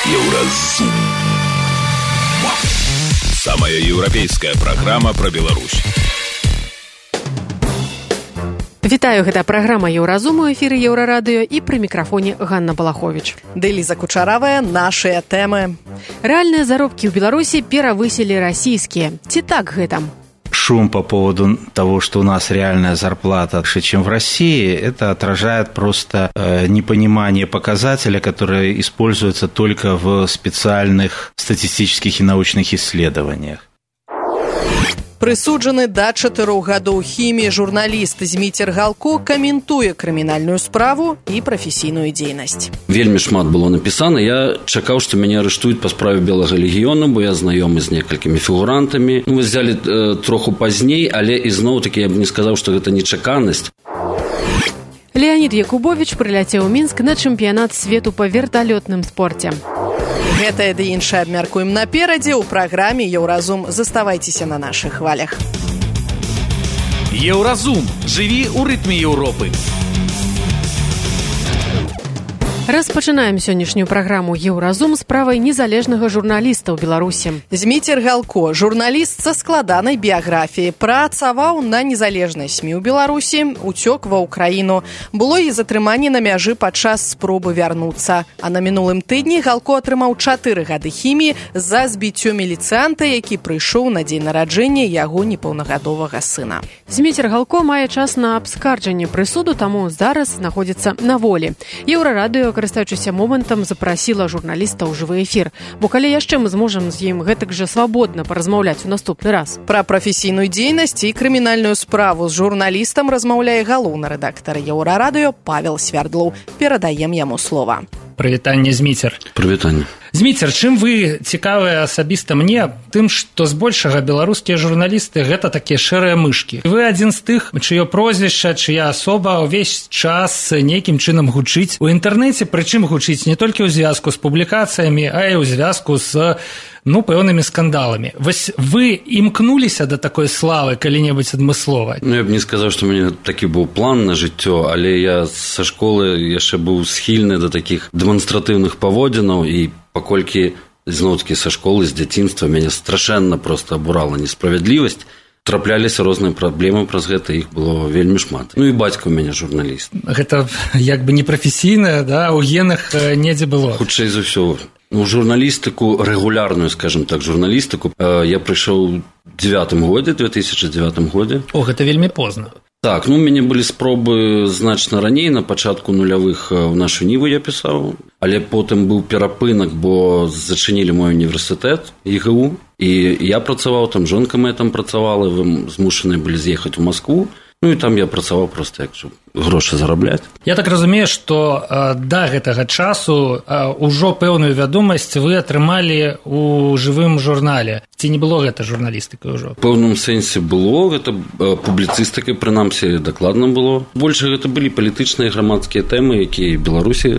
Еўразум. Самая еўрапейская праграма пра Беларусь. Вітаю, гэта праграма Еўразум у эфіры Еўрарадыё і пры мікрафоне Ганна Балаховіч. Ды Ліза Кучаравая, нашыя тэмы. Рэальныя заробкі ў Беларусі перавысілі расійскія. Ці так гэта? Шум по поводу того, что у нас реальная зарплата выше, чем в России, это отражает просто непонимание показателя, который используется только в специальных статистических и научных исследованиях. Прысуджаны да 4 гадоў хіміі журналіст Зміцер Галко каментуе крымінальную справу і прафесійную дзейнасць. Вельмі шмат было напісана. Я чакаў, што мяне арыштуюць па справе Белага легіёну, бо я знаёмы з некалькімі фігурантамі. Мы взялі троху пазней, але ізноў-такі я б не сказаў, што гэта нечаканасць. Леонід Якубович прыляцеў у Мінск на чэмпіянат свету па верталётным спорце. Гэтае ды іншае абмяркуем наперадзе ў праграме Еўразум. Заставайцеся на нашых хвалях. Еўразум. Жыві ў рытме Еўропы. Распачынаем сённяшнюю праграму Еўразум справай незалежнага журналіста ў Беларусі. Зміцер Галко, журналіст са складанай біяграфіяй, працаваў на незалежнай СМІ ў Беларусі, уцёк ва ўкраіну. Было і затрыманне на мяжы падчас спробы вярнуцца. А на мінулым тыдні Галко атрымаў 4 гады хіміі за збіццё міліцыянта, які прыйшоў на дзень нараджэння яго непаўнагадовага сына. Зміцер Галко мае час на абскарджанне прысуду, таму зараз знаходзіцца на волі. Еўрарадыё, карыстаючыся момантам, запрасіла журналіста ў жывы эфір. Бо калі яшчэ мы зможам з ім гэтак жа свабодна паразмаўляць у наступны раз. Пра прафесійную дзейнасць і крымінальную справу з журналістам размаўляе галоўны рэдактар Еўрарадыё Павел Свярдлоў. Перадаем яму слова. Прывітанне, Зміцер. Прывітанне. Зміцер, чым вы цікавыя асабіста мне? Тым, што збольшага беларускія журналісты гэта такія шэрыя мышкі. Вы адзін з тых, чыё прозвішча, чыя асоба ўвесь час нейкім чынам гучыць у інтэрнэце, прычым гучыць не толькі ў звязку з публікацыямі, а і ў звязку з пэўнымі скандаламі. Вось вы імкнуліся да такой славы калі-небудзь адмыслова? Я б не сказаў, што ў мяне такі быў план на жыццё, але я са школы яшчэ быў схільны да такіх дэманстратыўных паводзінаў, і паколькі зноў-такі са школы, з дзяцінства мяне страшэнна проста абурала несправядлівасць, трапляліся розныя праблемы праз гэта, іх было вельмі шмат. І бацька ў мяне журналіст. Гэта як бы непрафесійна, да, у генах недзе было. Хутчэй за ўсё. Журналістыку, рэгулярную, скажем так, журналістыку я прыйшоў у 2009 годзе. О, гэта вельмі позна. Так, у мяне былі спробы значна раней, на пачатку нулявых у нашу ніву я пісаў, але потым быў перапынак, бо зачынілі мой універсітэт ІГУ, і я працаваў там, жонка моя там працавала, вы змушаныя былі з'ехаць у Маскву. І там я працаваў проста як грошы зарабляць. Я так разумею, што да гэтага часу ўжо пэўную вядомасць вы атрымалі ў жывым журнале. Ці не было гэта журналістыкай ўжо? У пэўным сэнсе было, гэта публіцыстыкай, прынамсі, дакладна было. Больш гэта былі палітычныя грамадскія тэмы, якія Беларусі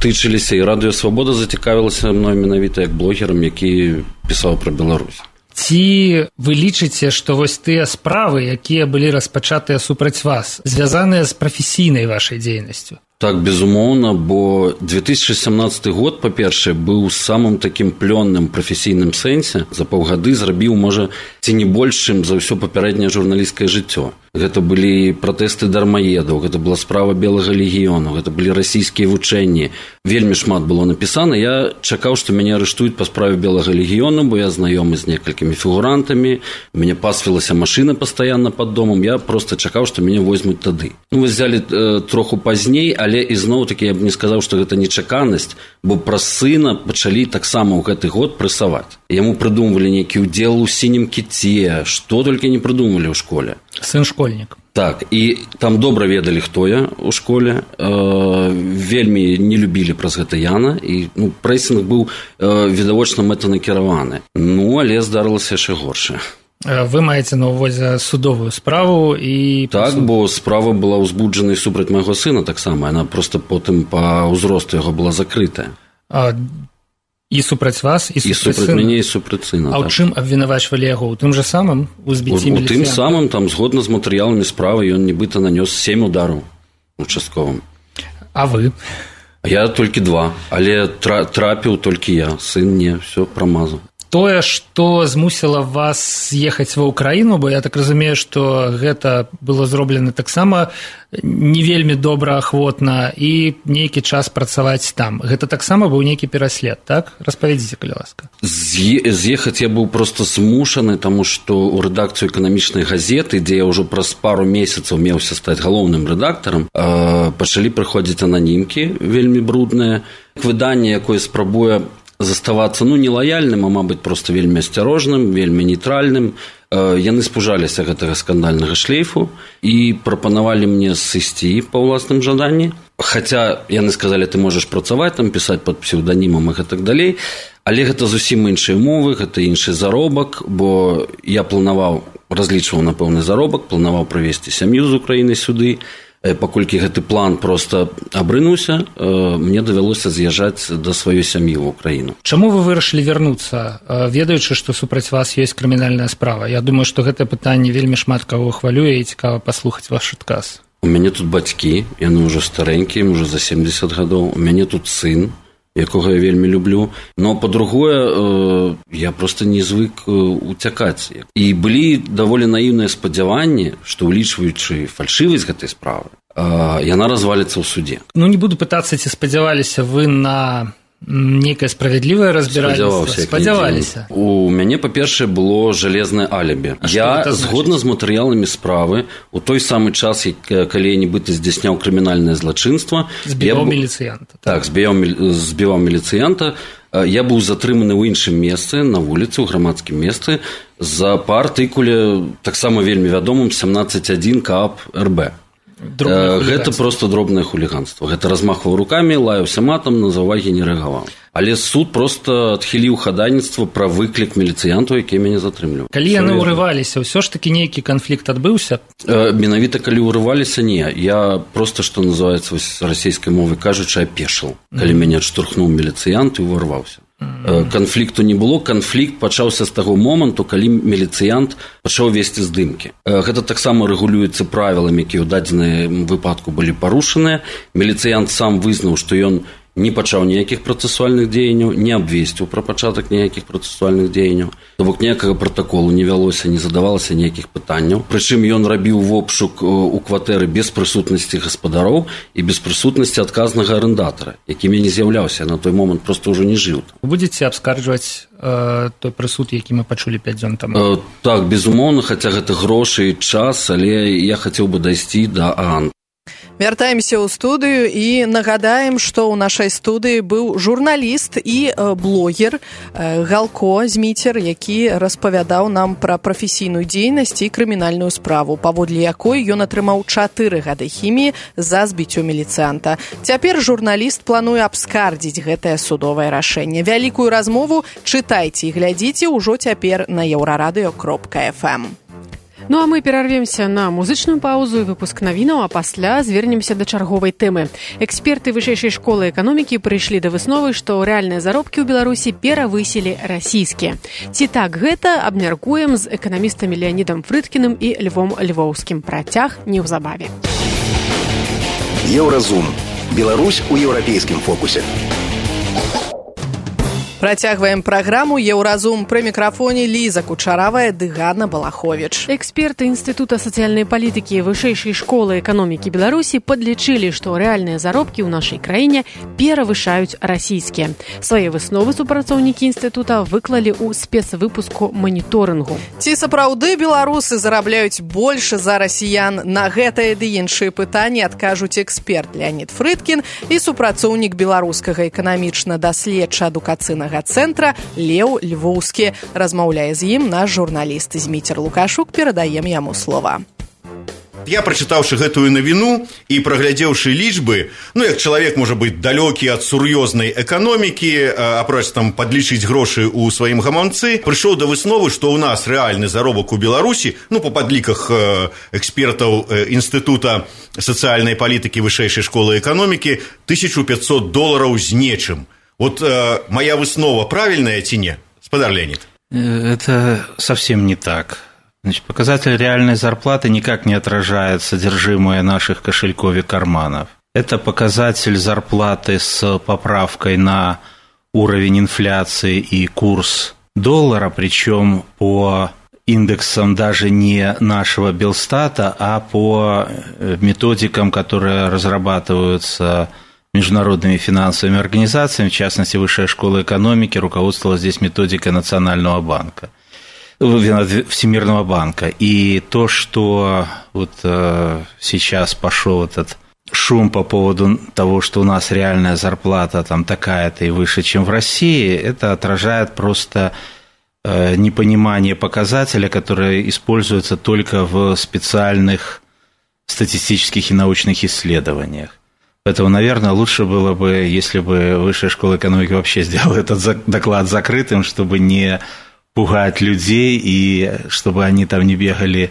тычыліся, і Радыё Свабода зацікавілася мной менавіта як блогерам, які пісаў пра Беларусь. Ці вы лічыце, што вось тыя справы, якія былі распачатыя супраць вас, звязаныя з прафесійнай вашай дзейнасцю? Так, безумоўна, бо 2017 год, па-першае, быў самым такім плённым прафесійным сэнсе. За паўгады зрабіў, можа, ці не больш, чым за ўсё папярэдняе журналісцкае жыццё. Гэта былі пратэсты дармаедаў, гэта была справа Белага легіёну, гэта былі расійскія вучэнні. Вельмі шмат было напісана. Я чакаў, што мяне арыштуюць па справе Белага легіёну, бо я знаёмы з некалькімі фігурантамі, у мяне пасвілася машына пастаянна пад домам, я проста чакаў, што мяне возьмуць тады. Мы взялі троху пазней, але ізноў-такі я б не сказаў, што гэта нечаканасць, бо праз сына пачалі таксама ў гэты год прэсаваць. Яму прыдумвалі нейкі ўдзел у сінім кіце, што толькі не прыдумвалі ў школе. Сын школьнік. Так, і там добра ведалі, хто я ў школе, вельмі не любілі праз гэта Яна, і прэсінг быў відавочна мэтанакіраваны. Але здарылася яшчэ горшае. Вы маеце на ўвазе судовую справу і... Так, бо справа была ўзбуджана супраць майго сына таксама, яна проста потым па ўзросту яго была закрытая. І супраць вас, і супраць мяне, і супраць сына. А ў чым абвінавачвалі яго? У тым жа самым? У збіцці міліцыянта? У тым самым, там, згодна з матэрыяламі справы, ён нібыта нанёс 7 удараў участковым. А вы? Я толькі 2, але трапіў толькі я, сын не, все прамазаў. Тое, што змусіла вас з'ехаць ва ўкраіну, бо я так разумею, што гэта было зроблена таксама не вельмі добраахвотна і нейкі час працаваць там. Гэта таксама быў нейкі пераслед, так? Распавядзіце, калі ласка. З'ехаць я быў проста змушаны, таму што ў рэдакцыю эканамічнай газеты, дзе я ўжо праз пару месяцаў меўся стаць галоўным рэдактарам, пачалі прыходзіць ананімкі вельмі брудныя. Выданне, якое спрабуе заставацца, не лаяльным, а, мабыць, проста вельмі асцярожным, вельмі нейтральным. Яны спужаліся гэтага скандальнага шлейфу і прапанавалі мне сысці па ўласным жаданні. Хаця яны сказалі, ты можаш працаваць, там пісаць пад псеўданімам і гэтак далей, але гэта зусім іншыя умовы, гэта іншы заробак, бо я разлічваў на пэўны заробак, планаваў прывезці сям'ю з Украіны сюды. Паколькі гэты план проста абрынуўся, мне давялося з'язджаць да сваёй сям'і ў Украіну. Чаму вы вырашылі вярнуцца, ведаючы, што супраць вас ёсць крымінальная справа? Я думаю, што гэтае пытанне вельмі шмат каго хвалюе і цікава паслухаць ваш адказ. У мяне тут бацькі, яны ўжо старэнькія, ім ужо за 70 гадоў. У мяне тут сын, якога я вельмі люблю. Но, па-другое, я проста не звык уцякаць. І былі даволі наіўныя спадзяванні, што, улічваючы фальшывасць гэтай справы, яна разваліцца ў суде. Не буду пытацца, ці спадзяваліся вы на нейкае справядлівае разбіральніцтва? Спадзяваліся. У мяне, па-першае, было жалезнае алібі. Я, згодна з матэрыяламі справы, у той самы час, калі я нібыта здзяйсняў крымінальнае злачынства, збіваў міліцыянта. Так, збіваў міліцыянта. Я быў затрыманы ў іншым месцы, на вуліцы, ў грамадскім месцы, па артыкуле, таксама вельмі вядомым, 17.1 КАП РБ. Гэта проста дробнае хуліганство. Гэта размахваў рукамі, лаяўся матам, на заўвагі не рэагаваў. Але суд проста адхіліў хадайніцтва пра выклік міліцыянтаў, які мяне затрымліваў. Калі яны ўрываліся, ўсё ж такі нейкі канфлікт адбыўся? Менавіта калі ўрываліся, не. Я проста, што называецца расійскай мовай кажучы, апешыў, калі мяне адштурхнуў міліцыянт і ўварваўся. Канфлікту не было, канфлікт пачаўся з таго моманту, калі міліцыянт пачаў весці здымкі. Гэта таксама рэгулюецца правіламі, якія ў дадзеным выпадку былі парушаныя. Міліцыянт сам вызнаў, што ён не пачаў ніякіх працэсуальных дзеянняў, не абвесціў пра пачатак ніякіх працэсуальных дзеянняў. То бок ніякага пратаколу не вялося, не задавалася ніякіх пытанняў. Прычым ён рабіў вобшук у кватэры без прысутнасці гаспадароў і без прысутнасці адказнага арендатара, якім я не з'яўляўся, на той момант проста ўжо не жыў. Вы будзеце абскарджваць той прысуд, які мы пачулі 5 дзён таму? Так, безумоўна, хаця гэта грошы і час, але я хацеў бы дайсці да ААН. Вяртаемся ў студыю і нагадаем, што ў нашай студыі быў журналіст і блогер Галко Зміцер, які распавядаў нам пра прафесійную дзейнасць і крымінальную справу, паводле якой ён атрымаў 4 гады хіміі за збіццё міліцыянта. Цяпер журналіст плануе абскардзіць гэтае судовае рашэнне. Вялікую размову чытайце і глядзіце ўжо цяпер на еўрарадыё.фм. Ну а мы перарвемся на музычную паузу і выпуск навінаў, а пасля звернемся да чарговай тэмы. Эксперты вышэйшай школы эканомікі прыйшлі да высновы, што рэальныя заробкі ў Беларусі перавысілі расійскія. Ці так гэта, абмяркуем з эканамістамі Леанідам Фрыдкіным і Львом Львоўскім. Працяг неўзабаве. Еўразум. Беларусь у еўрапейскім фокусе. Працягваем праграму «Еўразум». Пры мікрафоне Ліза Кучаравая ды Ганна Балаховіч. Эксперты Інстытута сацыяльнай палітыкі Вышэйшай школы эканомікі Беларусі падлічылі, што рэальныя заробкі ў нашай краіне перавышаюць расійскія. Свае высновы супрацоўнікі інстытута выклалі ў спецвыпуску маніторынгу. Ці сапраўды беларусы зарабляюць больш за расіян? На гэтае ды іншыя пытанні адкажуць эксперт Леанід Фрыдкін і супрацоўнік беларускага эканамічна-даследча-адукацыйнага цэнтра Леў Львоўскі. Размаўляе з ім наш журналіст Зміцер Лукашук. Перадаем яму слова. Я, прачытаўшы гэтую навіну і праглядзеўшы лічбы, як чалавек можа быць далёкі ад сур'ёзнай эканомікі, апроч там падлічыць грошы ў сваім гаманцы, прыйшоў да высновы, што ў нас рэальны заробак у Беларусі, па падліках экспертаў Інстытута сацыяльнай палітыкі Вышэйшай школы эканомікі, $1500 з нечым. Моя выснова правильная ці не, спадар Леонид? Это совсем не так. Показатель реальной зарплаты никак не отражает содержимое наших кошельков и карманов. Это показатель зарплаты с поправкой на уровень инфляции и курс доллара, причем по индексам даже не нашего Белстата, а по методикам, которые разрабатываются международными финансовыми организациями, в частности, Высшая школа экономики руководствовалась здесь методикой Национального банка, Всемирного банка. И то, что вот сейчас пошел этот шум по поводу того, что у нас реальная зарплата там такая-то и выше, чем в России, это отражает просто непонимание показателя, который используется только в специальных статистических и научных исследованиях. Поэтому, наверное, лучше было бы, если бы Высшая школа экономики вообще сделала этот доклад закрытым, чтобы не пугать людей и чтобы они там не бегали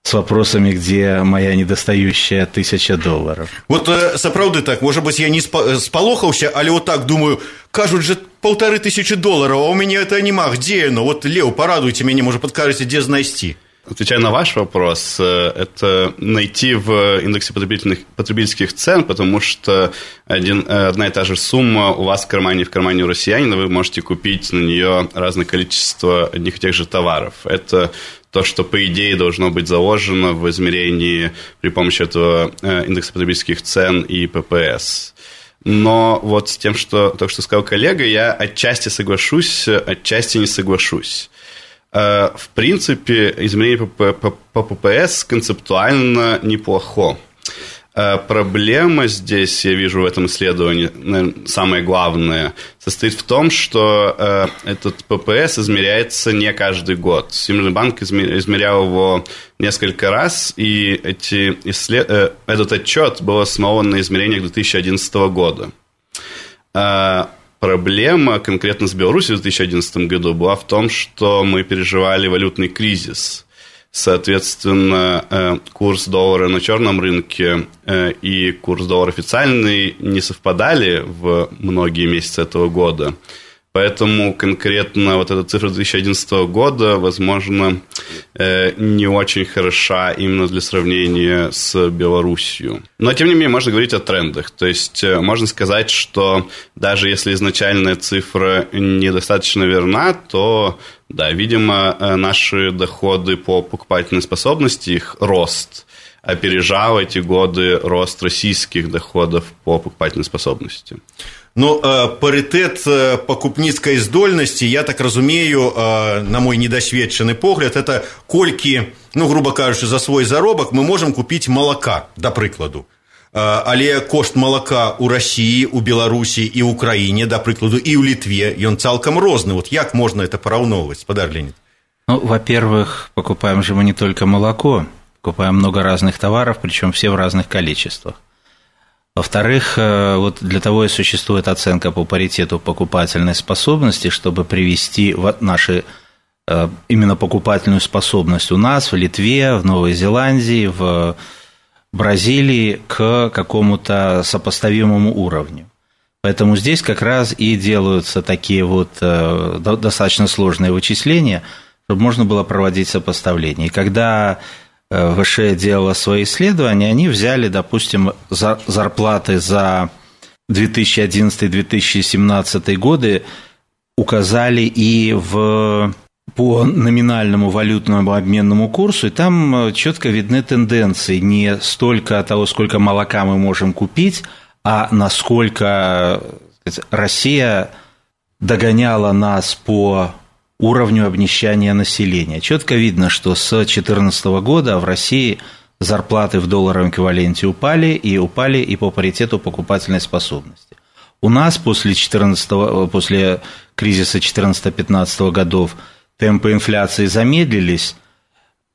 с вопросами, где моя недостающая $1000. Вот сапраўды так, может быть, я не спалохаўся, але вот так думаю, кажут же $1500, а у меня это нема, где оно? Вот, Лео, порадуйте меня, может, подскажете, где знайти? Отвечая на ваш вопрос, это найти в индексе потребительских цен, потому что одна и та же сумма у вас в кармане у россиянина, вы можете купить на нее разное количество одних и тех же товаров. Это то, что, по идее, должно быть заложено в измерении при помощи этого индекса потребительских цен и ППС. Но вот с тем, что только что сказал коллега, я отчасти соглашусь, отчасти не соглашусь. В принципе, измерение по ППС концептуально неплохо. Проблема здесь, я вижу в этом исследовании, наверное, самое главное, состоит в том, что этот ППС измеряется не каждый год. Всемирный банк измерял его несколько раз, и этот отчет был основан на измерениях 2011 года. Проблема конкретно с Беларусью в 2011 году была в том, что мы переживали валютный кризис. Соответственно, курс доллара на черном рынке и курс доллара официальный не совпадали в многие месяцы этого года. Поэтому конкретно вот эта цифра 2011 года, возможно, не очень хороша именно для сравнения с Беларусью. Но, тем не менее, можно говорить о трендах. То есть, можно сказать, что даже если изначальная цифра недостаточно верна, то, да, видимо, наши доходы по покупательной способности, их рост, опережал эти годы рост российских доходов по покупательной способности. Ну, паритет покупніцкай здольнасці, я так разумею, на мой недосведчаны погляд, это колькі, ну, грубо кажучы, за свой заробак мы можем купіць малака, да прыкладу. Але кошт малака ў Расіі, у Беларусі і ў Украіне, да прыкладу, і ў Літве, ён цалкам розны. Вот як можно это параўноўваць, спадар Леонид? Ну, во-первых, покупаем же мы не только молоко, покупаем много разных товаров, причем все в разных количествах. Во-вторых, вот для того и существует оценка по паритету покупательной способности, чтобы привести наши именно покупательную способность у нас, в Литве, в Новой Зеландии, в Бразилии к какому-то сопоставимому уровню. Поэтому здесь как раз и делаются такие вот достаточно сложные вычисления, чтобы можно было проводить сопоставление. И когда ВШ делала свои исследования, они взяли, допустим, зарплаты за 2011-2017 годы, указали и по номинальному валютному обменному курсу, и там четко видны тенденции не столько того, сколько молока мы можем купить, а насколько Россия догоняла нас по уровню обнищания населения. Четко видно, что с 2014 года в России зарплаты в долларовом эквиваленте упали и по паритету покупательной способности. У нас после кризиса 2014-2015 годов темпы инфляции замедлились,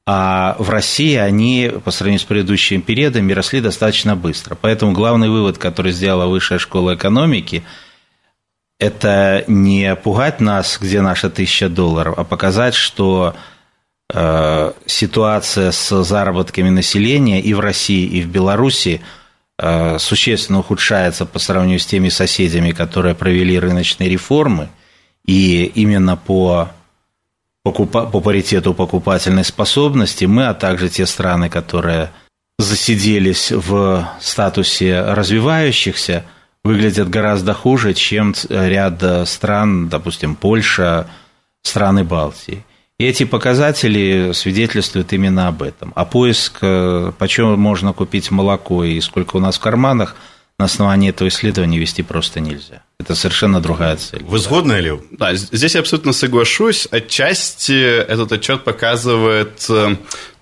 а в России они по сравнению с предыдущими периодами росли достаточно быстро. Поэтому главный вывод, который сделала Высшая школа экономики, это не пугать нас, где наши $1000, а показать, что ситуация с заработками населения и в России, и в Беларуси существенно ухудшается по сравнению с теми соседями, которые провели рыночные реформы, и именно по паритету покупательной способности мы, а также те страны, которые засиделись в статусе развивающихся, выглядят гораздо хуже, чем ряд стран, допустим, Польша, страны Балтии. И эти показатели свидетельствуют именно об этом. А поиск, почем можно купить молоко и сколько у нас в карманах, на основании этого исследования вести просто нельзя. Это совершенно другая цель. Вы сгодны, Лев? Да, здесь я абсолютно соглашусь. Отчасти этот отчет показывает,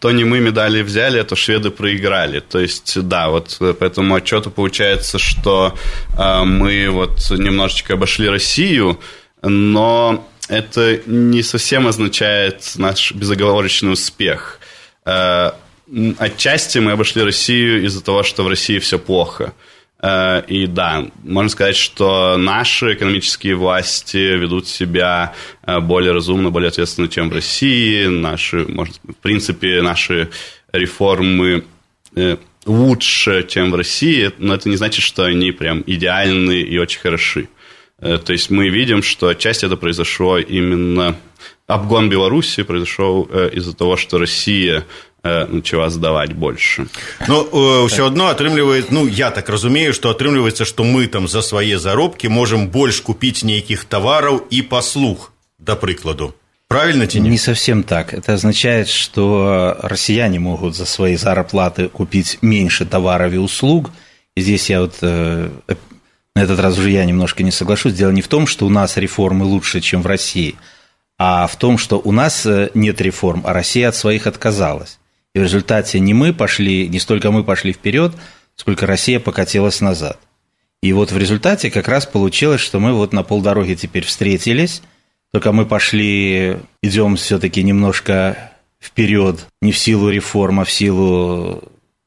то не мы медали взяли, а то шведы проиграли. То есть, да, вот по этому отчету получается, что мы вот немножечко обошли Россию, но это не совсем означает наш безоговорочный успех. Отчасти мы обошли Россию из-за того, что в России все плохо. И да, можно сказать, что наши экономические власти ведут себя более разумно, более ответственно, чем в России. В принципе, наши реформы лучше, чем в России, но это не значит, что они прям идеальны и очень хороши. То есть мы видим, что отчасти это произошло именно... Обгон Беларуси произошел из-за того, что Россия начала сдавать больше. Но ўсё адно атрымліваецца, я так разумею, што атрымліваецца, што мы там за свае заробкі можам больш купіць нейкіх тавараў і паслуг, да прыкладу. Правильно ці не? Не совсем так. Это означает, что россияне могут за свои зарплаты купить меньше товаров и услуг. И здесь я на этот раз уже я немножко не соглашусь. Дело не в том, что у нас реформы лучше, чем в России, а в том, что у нас нет реформ, а Россия от своих отказалась. И в результате не столько мы пошли вперед, сколько Россия покатилась назад. И вот в результате как раз получилось, что мы вот на полдороги теперь встретились, только мы идем все-таки немножко вперед, не в силу реформ, а в силу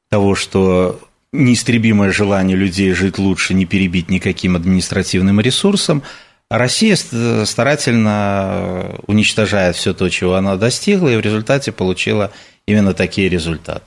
того, что неистребимое желание людей жить лучше не перебить никаким административным ресурсом, а Россия старательно уничтожает все то, чего она достигла, и в результате получила именно такие результаты.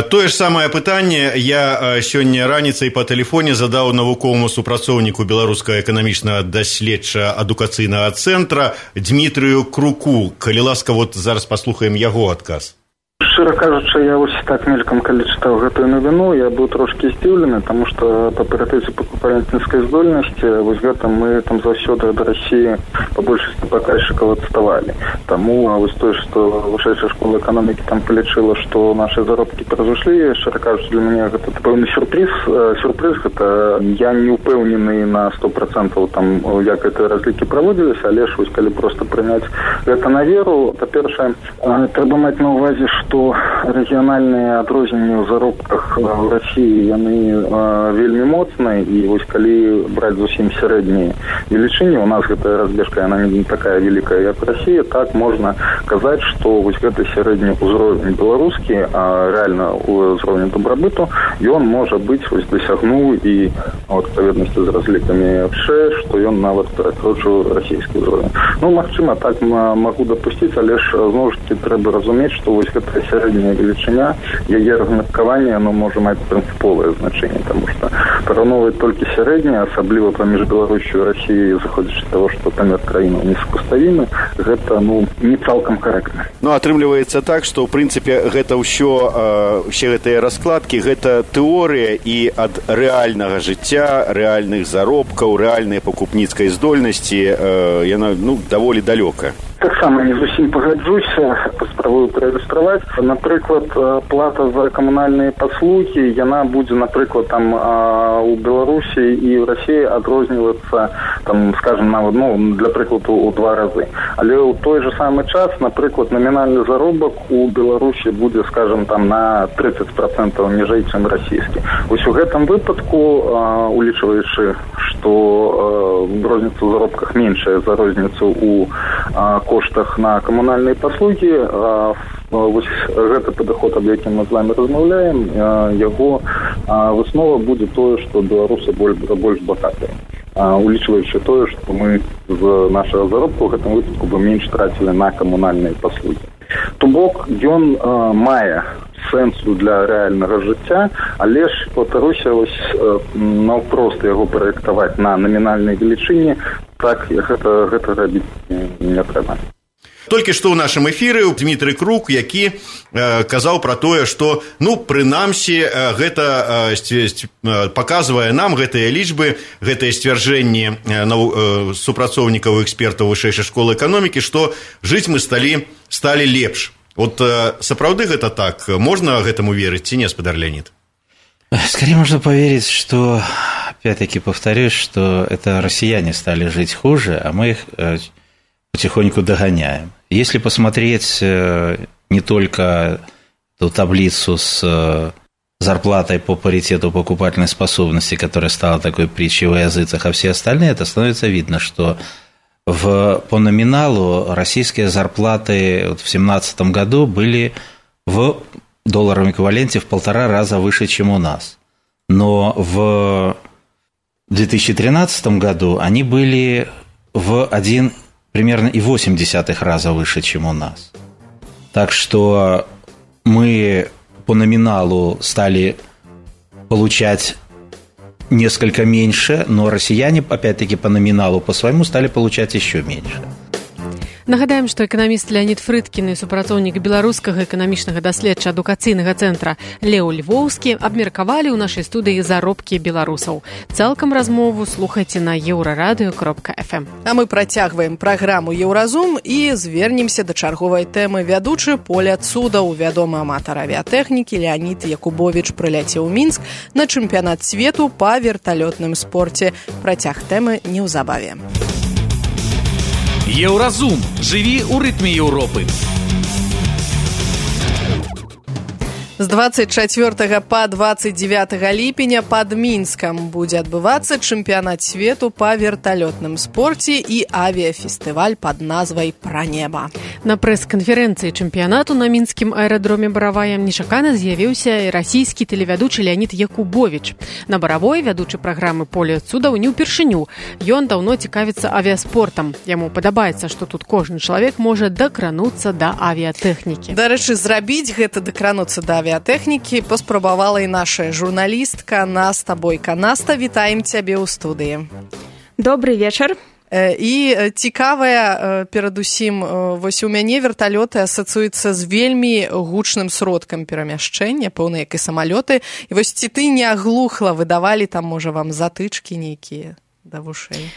Тое ж самае пытанне я сёння раніцай па тэлефоне задаў навуковаму супрацоўніку беларускага эканамічнага даследча-адукацыйнага цэнтра Дмітрыю Круку. Калі ласка, вот зараз паслухаем яго адказ. Шчыра кажучы, я вось так мелькам, калі чытаў гэтую навіну, я быў трошкі здзіўлены, таму што па парытэце пакупальніцкай здольнасці вось гэта мы там заўсёды ад Расіі па большасці паказчыкаў адставалі. Таму вось тое, што вышэйшая школа эканомікі там палічыла, што нашы заробкі превышлі, шчыра кажучы, для мяне гэта пэўны сюрпрыз, гэта я не ўпэўнены на 100% там, як гэтыя разлікі праводзіліся, але ж вось калі проста прыняць гэта на веру, па-першае, трэба маць на ўвазе, што рэгіянальныя адрозненні ў заробках в России яны вельмі моцныя, і вось калі браць зусім сярэднія велічыні, у нас гэтая разбежка яна не такая вялікая, як в России, так можна казаць, што вось гэты сярэдні ўзровень беларускі, а рэальна ўзровень дабрабыту, ён можа быць вось дасягнуў і у адпаведнасці з разлікамі ФШ, што ён нават перакрочыў расійскі ўзровень. Магчыма, так магу дапусціць, але ж зноў ж таки трэба разумець, што вось гэта сярэдняя велічыня, яе размеркаванне, оно можа маць прынцыповае значэнне, таму што параўноўваць толькі сярэдняе, асабліва паміж Беларусью і Расіяй, заходзячы з таго, што памер краінаў несупаставімы, гэта не цалкам карэктна. Атрымліваецца так, што ў прынцыпе гэта ўсе гэтыя раскладкі, гэта тэорыя, і ад рэальнага жыцця, рэальных заробкаў, рэальнай пакупніцкай здольнасці яна даволі далёка. Таксама не зусім пагаджуся, паспрабую праілюстраваць. Напрыклад, плата за камунальныя паслугі, яна будзе, напрыклад, там у Беларусі і ў Расіі адрознівацца, там, скажем, нават, для прыкладу, у 2 разы. Але ў той же самы час, напрыклад, намінальны заробак у Беларусі будзе, скажем, там на 30% ніжэй, чым расійскі. Вось у гэтым выпадку, улічваючы, што розніца ў заробках меншая за розніцу у коштах на камунальныя паслугі, вось гэты падыход, аб якім мы з вами размаўляем, яго выснова будзе тое, што беларусы больш багатыя, улічваючы тое, што мы з нашага заробку ў гэтым выпадку бы менш трацілі на камунальныя паслугі. То бок ён мае сэнсу для рэальнага жыцця, але ж, паўтаруся, наўпрост яго праектаваць на намінальнай велічыні, так гэта рабіць не трэба. Толькі што ў нашым эфіры Дмітрый Крук, які казаў пра тое, што, прынамсі, гэта паказвае нам гэтыя лічбы, гэтыя сцвярджэнні супрацоўнікаў і экспертаў вышэйшай школы эканомікі, што жыць мы сталі лепш. Вот сапраўды гэта так? Можно гэтаму верыць ці не, спадар Леонид? Скорее можно поверить, что, опять-таки повторюсь, что это россияне стали жить хуже, а мы их потихоньку догоняем. Если посмотреть не только ту таблицу с зарплатой по паритету покупательной способности, которая стала такой притчей во языцах, а все остальные, это становится видно, что по номиналу российские зарплаты в 2017 году были в долларовом эквиваленте в 1,5 раза выше, чем у нас. Но в 2013 году они были в примерно 1,8 раза выше, чем у нас. Так что мы по номиналу стали получать несколько меньше, но россияне, опять-таки, по номиналу, по своему, стали получать еще меньше. Нагадаем, што эканаміст Леонид Фрыдкін і супрацоўнік беларускага эканамічнага даследча-адукацыйнага цэнтра Леў Львоўскі абмеркавалі ў нашай студыі заробкі беларусаў. Цалкам размову слухайце на еўрарадыё.фм. А мы працягваем праграму «Еўразум» і звернемся да чарговай тэмы. Вядучы Поля Цудаў, вядомы аматар авіятэхнікі Леонид Якубович прыляцеў у Мінск на чэмпіянат свету па верталётным спорце. Працяг тэмы неўзабаве. Еўразум. Жыві ў рытме Еўропы. З 24 па 29 ліпеня пад Мінскам будзе адбывацца чэмпіянат свету па верталётным спорце і авіяфестываль пад назвай «Пра неба». На прэс-канферэнцыі чэмпіянату на мінскім аэрадроме Баравая нечакана з'явіўся і расійскі тэлевядучы Леонид Якубович. На Баравой вядучы праграмы «Поля Цудаў» не ўпершыню. Ён даўно цікавіцца авіаспортам. Яму падабаецца, што тут кожны чалавек можа дакрануцца да авіятэхнікі. Дарэчы, зрабіць гэта дакрануцца да авіятэхнікі паспрабавала і наша журналістка Наста Бойка. Наста, вітаем цябе ў студыі. Добрый вечар. І цікавая, перадусім, вось у мяне верталёты асацыююцца з вельмі гучным сродкам перамяшчэння, пэўна, як і самалёты. І вось ці ты не аглухла, выдавалі там, можа, вам затычкі нейкія да вушэй?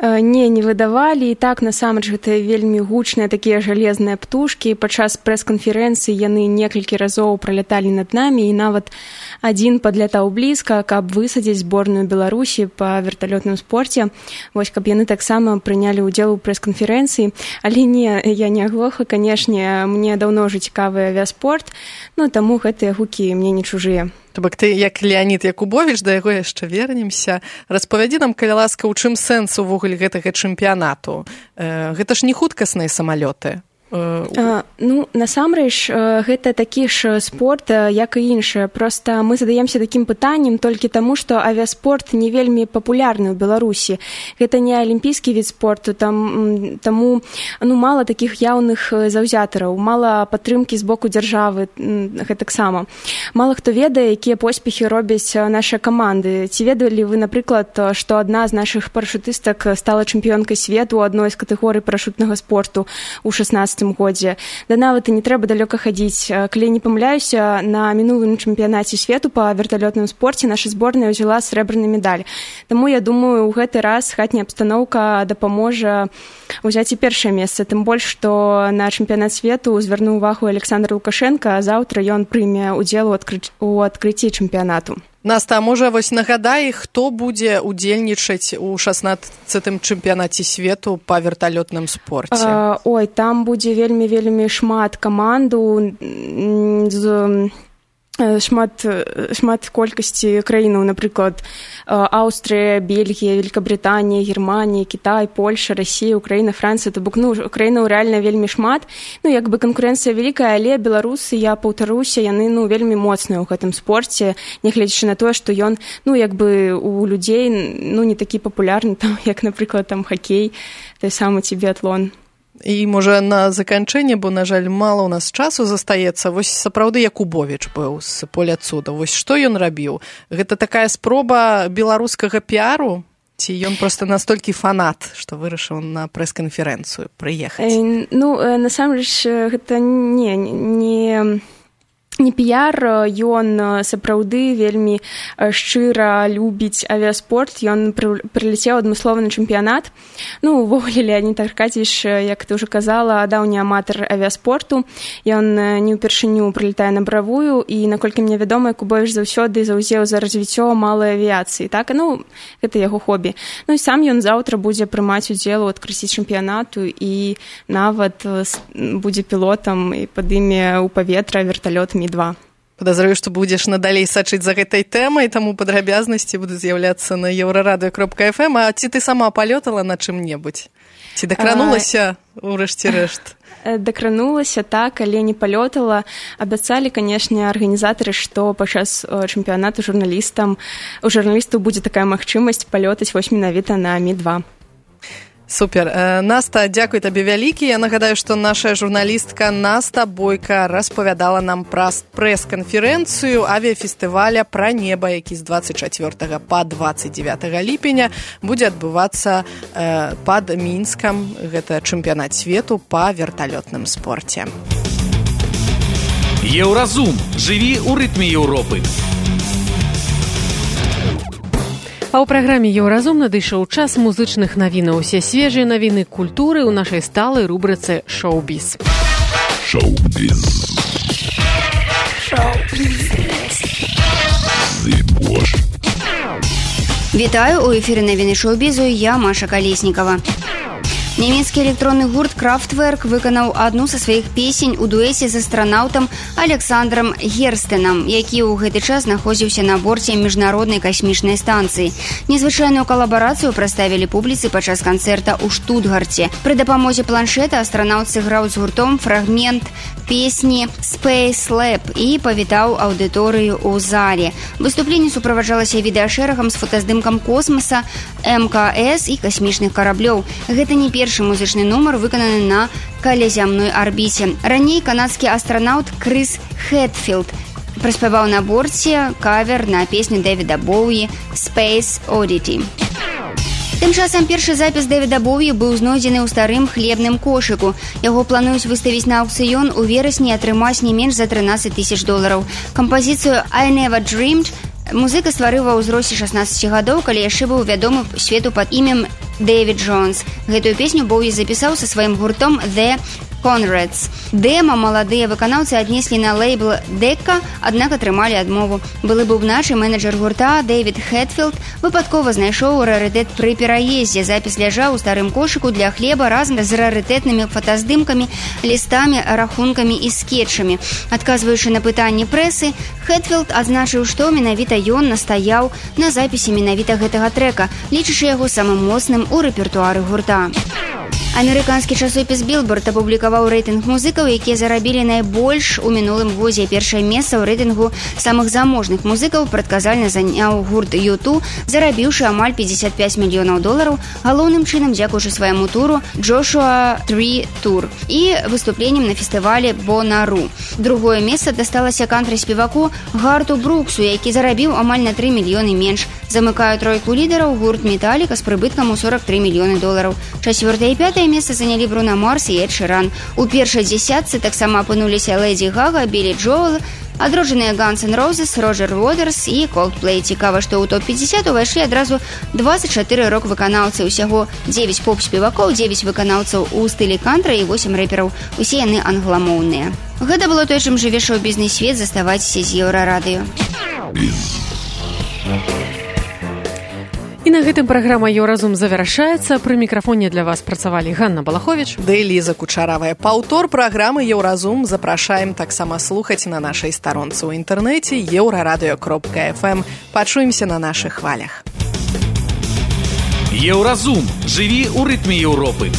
Не выдавалі, і так насамрэч гэта вельмі гучныя такія жалезныя птушкі. Падчас прэс-канферэнцыі яны некалькі разоў праляталі над намі, і нават адзін падлятаў блізка, каб высадзіць зборную Беларусі па верталётным спорце. Вось, каб яны таксама прынялі ўдзел у прэс-канферэнцыі. Але не, я не аглуха, канешне, мне даўно ўжо цікавы авіаспорт, таму гэтыя гукі мне не чужыя. То бок ты, як Леонид Якубович, да яго яшчэ вернемся. Распавядзі нам, калі ласка, у чым сэнс увогуле гэтага чэмпіянату? Гэта ж не хуткасныя самалёты. Насамрэч, гэта такі ж спорт, як і іншыя. Проста мы задаемся такім пытаннем толькі таму, што авіаспорт не вельмі папулярны ў Беларусі. Гэта не алімпійскі від спорту, таму мала такіх яўных заўзятараў, мала падтрымкі з боку дзяржавы гэтаксама. Мала хто ведае, якія поспехі робяць нашы каманды. Ці ведалі вы, напрыклад, што адна з нашых парашутыстак стала чэмпіёнкай свету ў адной з катэгорый парашутнага спорту ў 16 годзе. Да нават і не трэба далёка хадзіць. Калі не памыляюся, на мінулым чэмпіянаце свету па верталётным спорце наша зборная ўзяла срэбраны медаль. Таму я думаю, у гэты раз хатняя абстаноўка дапаможа ўзяць і першае месца. Тым больш, што на чэмпіянат свету звярнуў увагу Александр Лукашенко, а заўтра ён прыме ўдзел у адкрыцці чэмпіянату. Наста, можа, вось нагадай, хто будзе удзельнічаць у 16-м чэмпіянаце свету па верталётным спорце? Там будзе вельмі шмат каманду шмат колькасці краінаў, напрыклад, Аўстрыя, Бельгія, Великабрытанія, Германія, Кітай, Польша, Расія, Украіна, Францыя. То бок, краінаў рэальна вельмі шмат. Канкурэнцыя вялікая, але беларусы, я паўтаруся, яны вельмі моцныя ў гэтым спорце, нягледзячы на тое, што ён, у людзей не такі папулярны, як, напрыклад, хакей, той самы ці біятлон. І, можа, на заканчэнне, бо, на жаль, мала ў нас часу застаецца, вось сапраўды Якубович быў з Поля Цудаў. Вось што ён рабіў? Гэта такая спроба беларускага піару? Ці ён просто настолькі фанат, што вырашыў на прэс-канферэнцыю прыехаць? Насамрэч, гэта не піяр, ён сапраўды вельмі шчыра любіць авіаспорт, ён прыляцеў адмыслова на чэмпіянат. Увогуле, Леонід Аркадьевич, як ты ўжо казала, даўні аматар авіаспорту, ён не ўпершыню прылетае на Баравую, і, наколькі мне вядома, Якубовіч заўсёды заўзеў за развіццё малай авіяцыі, так? Гэта яго хобі. І сам ён заўтра будзе прымаць удзел у адкрыцці чэмпіянату і нават будзе пілотам і падыме ў паветра верталёт Ми-2. Падазраю, што будзеш надалей сачыць за гэтай тэмай, таму падрабязнасці будуць з'яўляцца на еўрарадыё.фм. А ці ты сама палётала на чым-небудзь? Ці дакранулася ўрэшце рэшт? Дакранулася, так, але не палётала. Абяцалі, канешне, арганізатары, што падчас чэмпіянату у журналістаў будзе такая магчымасць палётаць вось менавіта на Ми-2. Супер. Наста, дзякуй табе вялікі. Я нагадаю, што наша журналістка Наста Бойка распавядала нам пра прэс-канферэнцыю авіяфестываля «Пра неба», які з 24 па 29 ліпеня будзе адбывацца пад Мінскам. Гэта чэмпіянат свету па верталётным спорце. Еўразум. Жыві ў рытме Еўропы. А ў праграме «Еўразум» надышоў час музычных навінаў. Усе свежыя навіны культуры ў нашай сталай рубрыцы «Шоу-біз». Шоу-біз. Вітаю, у эфіры навіны шоу-бізу, я Маша Калеснікава. Нямецкі электронны гурт «Крафтверк» выканаў адну са сваіх песень у дуэце з астранаўтам Александрам Герстенам, які ў гэты час знаходзіўся на борце міжнароднай касмічнай станцыі. Незвычайную калабарацыю прадставілі публіцы падчас канцэрта ў Штутгарце. Пры дапамозе планшета астранаўт сыграў з гуртом фрагмент песні «Space Lab» і павітаў аўдыторыю ў зале. Выступленне суправаджалася відэашэрагам з фотаздымкам космоса, МКС і касмічных караблёў. Гэта не першы музычны нумар, выкананы на калязямной арбіце. Раней канадскі астранаўт Крыс Хэтфілд праспяваў на борце кавер на песню Дэвіда Боуі «Space Oddity». Тым часам першы запіс Дэвіда Боуі быў знойдзены ў старым хлебным кошыку. Яго плануюць выставіць на аўкцыён у верасні і атрымаць не менш за $13 000. Кампазіцыю «I Never Dreamed» музыка стварыў ва ўзросце 16 гадоў, калі яшчэ быў вядомы свету пад імем Дэвід Джонс. Гэтую песню Боуі запісаў са сваім гуртом «The Conrads». Дэма маладыя выканаўцы аднеслі на лейбл «Дека», аднак атрымалі адмову. Былы бубнач і менеджер гурта Дэвід Хэтфілд выпадкова знайшоў рарытэт пры пераездзе. Запіс ляжаў у старым кошыку для хлеба разам з рарытэтнымі фотаздымкамі, лістамі, рахункамі і скетчамі. Адказваючы на пытанні прэсы, Хэтфілд адзначыў, што менавіта ён настаяў на запісе менавіта гэтага трэка, лічачы яго самым моцным у рэпертуары гурта. Амерыканскі часопіс «Білборд» апублікаваў рэйтынг музыкаў, якія зарабілі найбольш у мінулым годзе. Першае месца ў рэйтынгу самых заможных музыкаў прадказальна заняў гурт U2, зарабіўшы амаль $55 мільёнаў, галоўным чынам дзякуючы свайму туру «Joshua Tree Tour» і выступленнем на фестывале «Бонару». Другое месца дасталася кантри-спеваку Гарту Бруксу, які зарабіў амаль на $3 мільёны менш. Замыкаю тройку лідараў гурт «Металіка» з прыбыткам у $43 мільёны. Чацвёртае і пятае месца занялі Бруно Марс і Эд Ширан. У першай дзесятцы таксама апынуліся Лэдзі Гага, Білі Джоэл, адроджаныя Guns N' Roses, Роджер Уотерс і Coldplay. Цікава, што ў топ-50 увайшлі адразу 24 рок-выканаўцы, усяго 9 поп-спевакоў, 9 выканаўцаў у стылі кантра і 8 рэпераў. Усе яны англамоўныя. Гэта было той, чым жыве шоу-бізнес свет. Заставайцеся з Еўрарадыё. І на гэтым праграма «Еўразум» завяршаецца. Пры мікрафоне для вас працавалі Ганна Балаховіч да Эліза Кучаравая. Паўтор праграмы «Еўразум» запрашаем таксама слухаць на нашай старонцы ў інтэрнэце еўрарадыё.фм. Пачуемся на нашых хвалях. Еўразум. Жыві ў рытме Еўропы.